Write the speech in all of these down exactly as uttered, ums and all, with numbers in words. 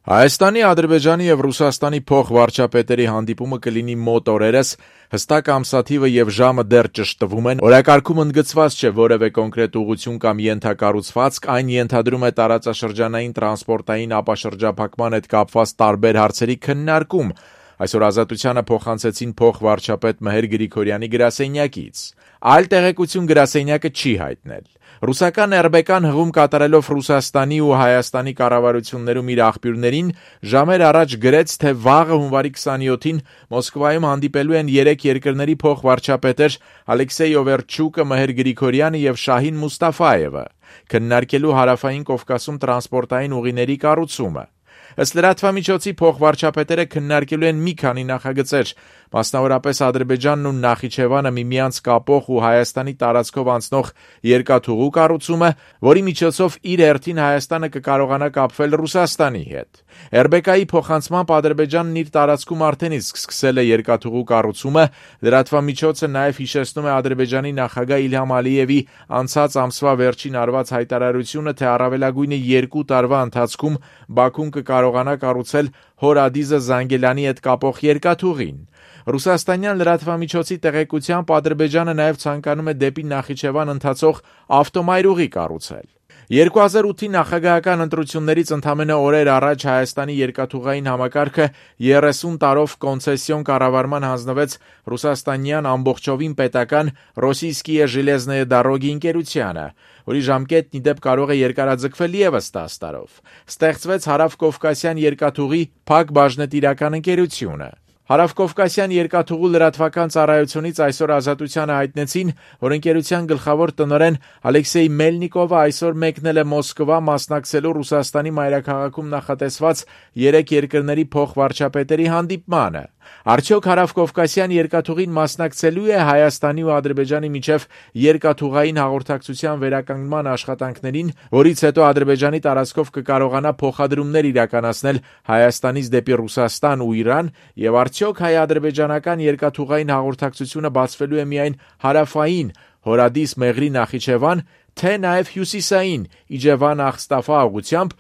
Հայաստանի, Ադրբեջանի եւ Ռուսաստանի փոխվարչապետերի հանդիպումը կլինի մոտ օրերս, հստակ ամսաթիվը եւ ժամը դեռ ճշտվում են, օրակարգում ընդգծված չէ որևէ կոնկրետ ուղղություն կամ ենթակառուցվածք, այն ենթադրում է տարածաշրջանային տրանսպորտային ապաշրջափակման հետ կապված տարբեր հարցերի քննարկում, այսօր Ազատությանը փոխանցեցին փոխվարչապետ Մհեր Գրիգորյանի գրասենյակից, այլ տեղեկություն գրասենյակը չի հայտնել։ Ռուսական эр бэ կան հղում կատարելով Ռուսաստանի ու Հայաստանի կառավարություններում իր աղբյուրներին ժամեր առաջ գրեց, թե վաղը հունվարի քսանյոթին Մոսկվայում հանդիպելու են երեք երկրների փոխվարչապետեր Ալեքսեյ Օվերչուկը, Մհեր Գրիգորյանը եւ Շահին Մուստաֆայևը, քննարկելու Հարավային Կովկասում տրանսպորտային ուղիների կառուցումը։ Ըստ լրատվամիջոցի փոխվարչապետերը քննարկելու են մի քանի նախագծեր, մասնավորապես Ադրբեջանն ու Նախիջևանը միմյանց կապող ու Հայաստանի տարածքով անցնող երկաթուղու կառուցումը, որի միջոցով իր հերթին Հայաստանը կկարողանա կապվել Ռուսաստանի հետ։ эр бэ կայի փոխանցմամբ Ադրբեջանն իր տարածքում արդեն իսկ սկսել է երկաթուղու կառուցումը, լրատվամիջոցը նաև հիշեցնում է Ադրբեջանի նախագահ Իլհամ Ալիևի անցած ամսվա վերջին արված հայտարարությունը, թե առավելագույնը երկու տարվա ընթացքում Բաքուն կկարողանա կառուցել Հորադիզը Զանգելանի հետ կապող երկաթուղին։ Ռուսաստանյան լրատվամիջոցի տեղեկությամբ Ադրբեջանը նաև ցանկանում է դեպի Նախիջևան ընթացող ավտոմայրուղի կառուցել։ երկու հազար ութի նախագահական ընտրություններից ընդամենը օրեր առաջ Հայաստանի երկաթուղային համակարգը երեսուն տարով կոնցեսիոն կառավարման հանձնվեց ռուսաստանյան ամբողջովին պետական Ռոսիյսկիե Ժելեզնեե Դարոգի ընկերությանը, որի ժամկետն ի դեպ կարող է երկարաձգվել ևս տասը տարով։ Ստեղծվեց Հարավկովկասյան երկաթուղի փակ բաժնետիրական ընկերությունը։ Հարավկովկասյան երկաթուղու լրատվական ծառայությունից այսօր Ազատությանը հայտնեցին, որ ընկերության գլխավոր տնօրեն Ալեքսեյ Մելնիկովը այսօր մեկնել է Մոսկվա մասնակցելու Ռուսաստանի մայրաքաղաքում նախատեսված երեք երկրների փոխվարչապետերի հանդիպմանը։ Արդյոք Հարավկովկասյան երկաթուղին մասնակցելու է Հայաստանի ու Ադրբեջանի միջև երկաթուղային հաղորդակցության վերականգնման աշխատանքներին, որից հետո Ադրբեջանի տարածքով կկարողանա փոխադրումներ իրականացնել Հայաստանից դեպի Ռուսաստան ու Իրան, եւ արդյոք հայ-ադրբեջանական երկաթուղային հաղորդակցությունը բացվելու է միայն հարավային Հորադիս Մեղրի Նախիջևան, թե նաև հյուսիսային Իջևան Ախստաֆա ուղղությամբ,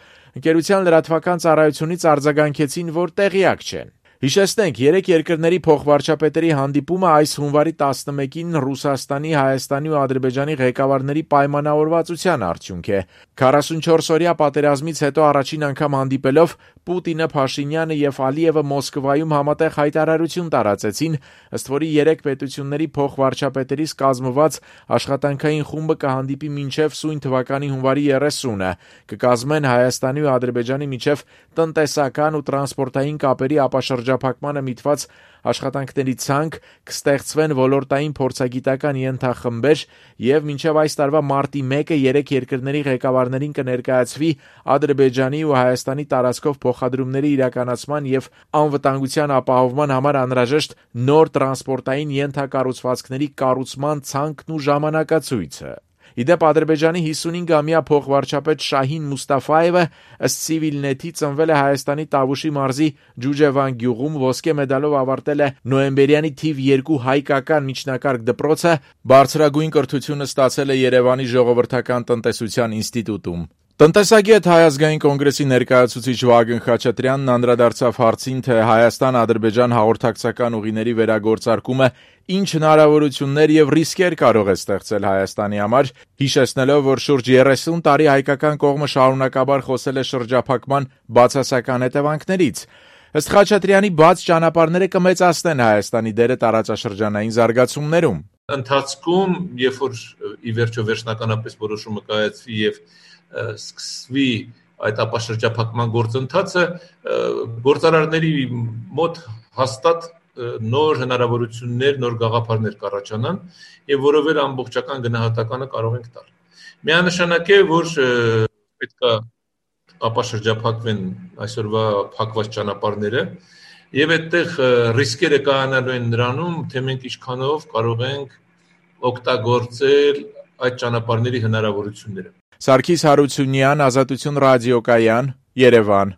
ընկերության լրատվական ծառայությունից արձագանքեցին, որ տեղյակ չեն։ Հիշեցնենք, երեք երկրների փոխվարչապետերի հանդիպումը այս հունվարի տասնմեկին Ռուսաստանի, Հայաստանի ու Ադրբեջանի ղեկավարների պայմանավորվածության արդյունք է։ քառասունչորս օրյա պատերազմից հետո առաջին անգամ հանդիպելով Պուտինը, Փաշինյանը եւ Ալիևը Մոսկվայում համատեղ հայտարարություն տարածեցին, ըստ որի երեք պետությունների փոխվարչապետերից կազմված աշխատանքային խումբը կհանդիպի մինչև սույն թվականի հունվարի երեսունը, կկազմեն Հայաստանի ու Ադրբեջանի միջև տնտեսական ու տրանսպորտային կապերի ապաշրջափակմանը միտված աշխատանքների ցանկ, կստեղծվեն ոլորտային փորձագիտական ենթախմբեր եւ մինչեւ այս տարվա մարտի մեկը երեք երկրների ղեկավարներին կներկայացվի Ադրբեջանի ու Հայաստանի տարածքով փոխադրումների իրականացման եւ անվտանգության ապահովման համար անհրաժեշտ նոր տրանսպորտային ենթակառուցվածքների կառուցման ցանկն ու ժամանակացույցը։ Ի դեպ Ադրբեջանի հիսունհինգամյա փոխվարչապետ Շահին Մուստաֆայևը ըստ Civilnet-ի ծնվել է Հայաստանի Տավուշի մարզի Ջուջևան գյուղում, ոսկե մեդալով ավարտել է նոյեմբերյանի թիվ երկու հայկական միջնակարգ դպրոցը, բարձրագույն կրթությունը ստացել է Երևանի Ժողովրդական տնտեսության ինստիտուտում։ Տնտեսագետ Հայ ազգային կոնգրեսի ներկայացուցիչ Վագն Խաչատրյանն անդրադարձավ հարցին, թե Հայաստան-Ադրբեջան հաղորդակցական ուղիների վերագործարկումը ինչ հնարավորություններ եւ ռիսկեր կարող է ստեղծել Հայաստանի համար, հիշեցնելով, որ շուրջ երեսուն տարի հայկական կողմը շարունակաբար խոսել է շրջափակման բացասական հետևանքներից։ Ըստ Խաչատրյանի, բաց ճանապարհները կմեծացնեն Հայաստանի դերը տարածաշրջանային զարգացումներում։ Ընթացքում, երբ որ ի վերջո վերջնականապես որոշումը կայացվի եւ սկսվի այդ ապաշրջափակման գործընթացը, գործարարների մոտ հաստատ նոր հնարավորություններ, նոր գաղափարներ կառաջանան եւ որովեր ամբողջական գնահատականը կարող ենք տալ։ Միանշանակ է, որ պետք է ապաշրջափակվեն այսօրվա փակված ճանապարհները եւ այդտեղ ռիսկերը կայանալու են նրանում, թե մենք ինչքանով կարող ենք օգտագործել այդ ճանապարհների հնարավորությունները։ Սարգիս Հարությունյան, Ազատություն ռադիոկայան, Երևան։